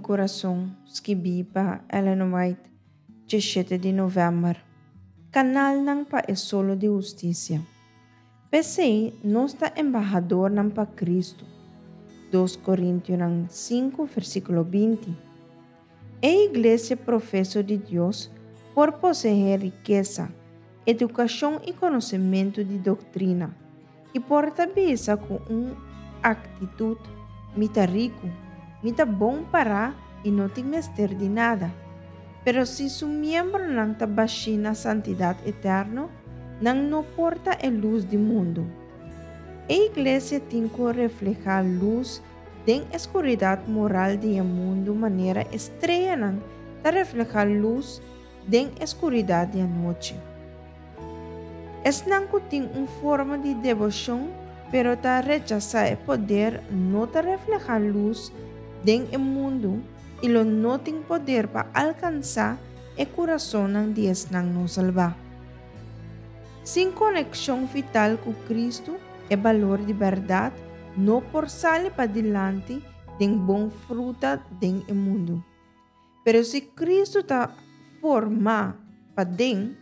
Kurason, skibí pa Ellen White, 17 di novèmber. Kanalnan pa e Solo di Hustisia. P'esei, nos ta embahadornan pa Kristu. 2 Korintionan 5, versíkulo 20. E iglesia profeso di Dios por poseé rikesa, edukashon i konosementu di doktrina, i por ta bisa ku un aktitut, Mi ta riku, mi ta bon pará i no tin mester di nada. Pero si su miembronan ta bashí na santidat eterno, nan no por ta e lus di mundu. E iglesia tin ku reflehá lus den e skuridat moral di e mundu manera e streanan ta reflehá lus den e skuridat di anochi. Esnan ku tin un forma di deboshon pero ta rechasá e poder no ta reflehá lus den e mundu i lo no tin poder pa alkansá e kurasonnan di esnan no salbá. Sin konekshon vital ku Kristu, e balor di bèrdat no por sali padilanti den bon fruta den e mundu. Pero si Kristu ta formá paden,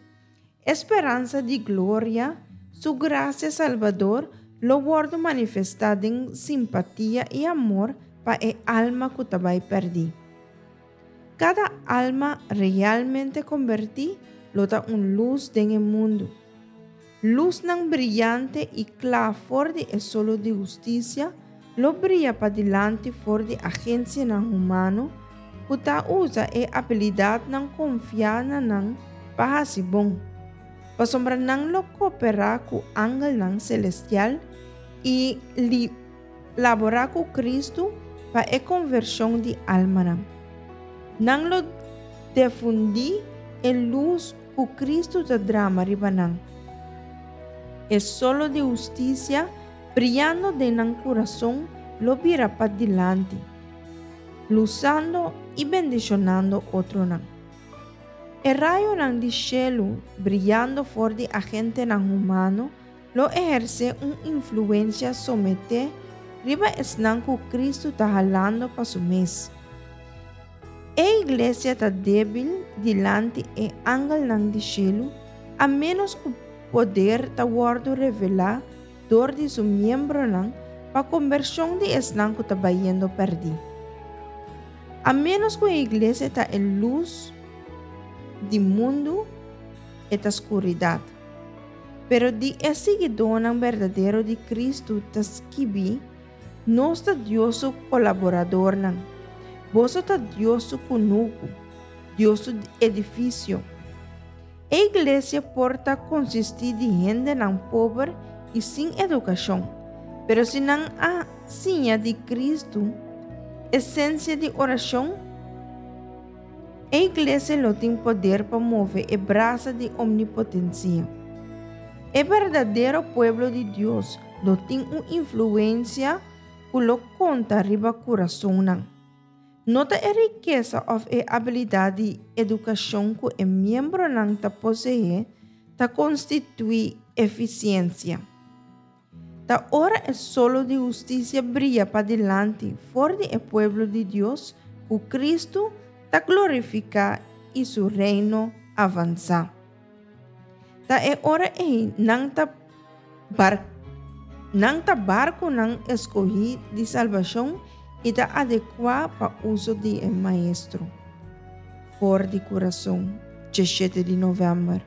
e speransa di gloria, Su grasia salbador lo wòrdu manifestá den simpatia i amor pa e alma ku ta bai pèrdí. Kada alma realmente kombertí lo ta un lus den e mundu. Lusnan briyante i kla for di e solo di hustisia lo bria padilanti for di agensianan humano ku ta usa e abilidatnan konfiá na nan pa hasi bon, pasobra nan lo kooperá ku angelnan selestial i laborá ku Kristu pa e konvershon di almanan. Nan lo defundí e lus ku Kristu ta drama riba nan. E solo di hustisia briyando den nan kurason lo bira padilanti, lusando i bendishonando otronan. E rayonan di shelu briyando for di agentenan humano lo ehersé un influensia someté riba esnan ku Kristu ta halando pa su mes. E iglesia ta débil dilanti e angelnan di shelu a ménos ku poder ta wòrdu revelá dor di su miembronan pa kombershon di esnan ku ta bayendo pèrdí. A ménos ku e iglesia ta e lus di mundu, e ta skuridat. Pero di e siguidónan berdadero di Kristu ta skibí, Nos ta Dios su kolaboradornan. Boso ta Dios su kunuku, Dios su edifisio. E iglesia por ta konsistí di hendenan pober i sin edukashon, pero si nan a siña di Kristu esensia di orashon, e iglesia lo tin poder pa move e brasa di omnipotensia. E berdadero pueblo di Dios lo tin un influensia ku lo konta riba kurasonnan. No ta e rikesa òf e abilidat di edukashon ku e miembronan ta poseé ta konstituí efisiensia. Ta ora e solo di hustisia bria padilanti for di e pueblo di Dios ku Kristu ta glorifiká i su Reino avansá. Ta e ora ei nan ta bar nan ta barkunan eskohí di salbashon i ta adekuá pa uso di e Maestro. For di kurason, 17 di novèmber.